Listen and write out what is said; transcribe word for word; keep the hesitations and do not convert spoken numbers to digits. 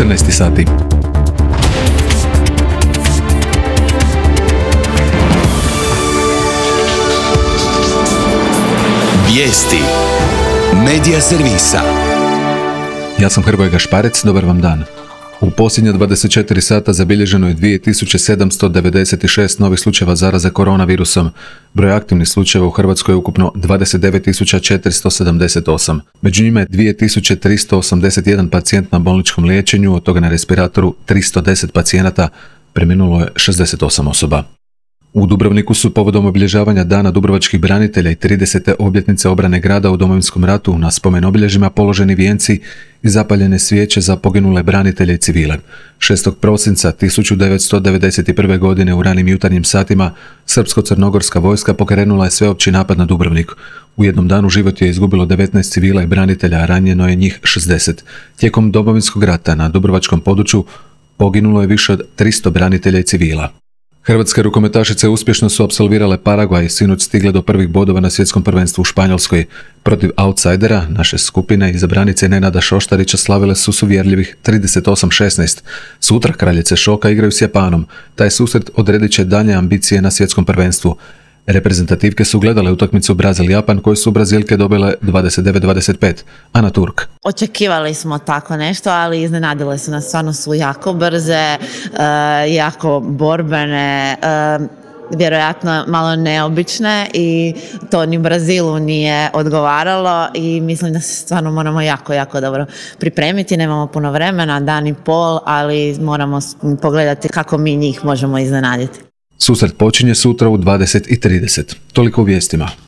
četrnaest sati. Vijesti Medija servisa. Ja sam Hrvoje Gašparec, dobar vam dan. U posljednja dvadeset četiri sata zabilježeno je dvije tisuće sedamsto devedeset šest novih slučajeva zaraze koronavirusom. Broj aktivnih slučajeva u Hrvatskoj je ukupno dvadeset devet tisuća četiristo sedamdeset osam. Među njima je dvije tisuće tristo osamdeset jedan pacijent na bolničkom liječenju, od toga na respiratoru tristo deset pacijenata, preminulo je šezdeset osam osoba. U Dubrovniku su povodom obilježavanja Dana dubrovačkih branitelja i tridesete obljetnice obrane grada u Domovinskom ratu na spomen obilježjima položeni vijenci i zapaljene svijeće za poginule branitelje i civile. šestog prosinca tisuću devetsto devedeset prve. godine u ranim jutarnjim satima srpsko-crnogorska vojska pokrenula je sveopći napad na Dubrovnik. U jednom danu život je izgubilo devetnaest civila i branitelja, a ranjeno je njih šezdeset. Tijekom Domovinskog rata na dubrovačkom području poginulo je više od tristo branitelja i civila. Hrvatske rukometašice uspješno su apsolvirale Paragvaj i sinoć stigle do prvih bodova na svjetskom prvenstvu u Španjolskoj. Protiv outsidera, naše skupine iz branice Nenada Šoštarića slavile su s uvjerljivih trideset osam šesnaest. Sutra kraljice šoka igraju s Japanom. Taj susret odredit će dalje ambicije na svjetskom prvenstvu. Reprezentativke su gledale utakmicu Brazil-Japan koju su Brazilke dobile dvadeset devet dvadeset pet. Ana Turk. Očekivali smo tako nešto, ali iznenadile su nas, stvarno su jako brze, jako borbene, vjerojatno malo neobične i to ni Brazilu nije odgovaralo i mislim da se stvarno moramo jako, jako dobro pripremiti. Nemamo puno vremena, dan i pol, ali moramo pogledati kako mi njih možemo iznenaditi. Susret počinje sutra u dvadeset i trideset. Toliko u vijestima.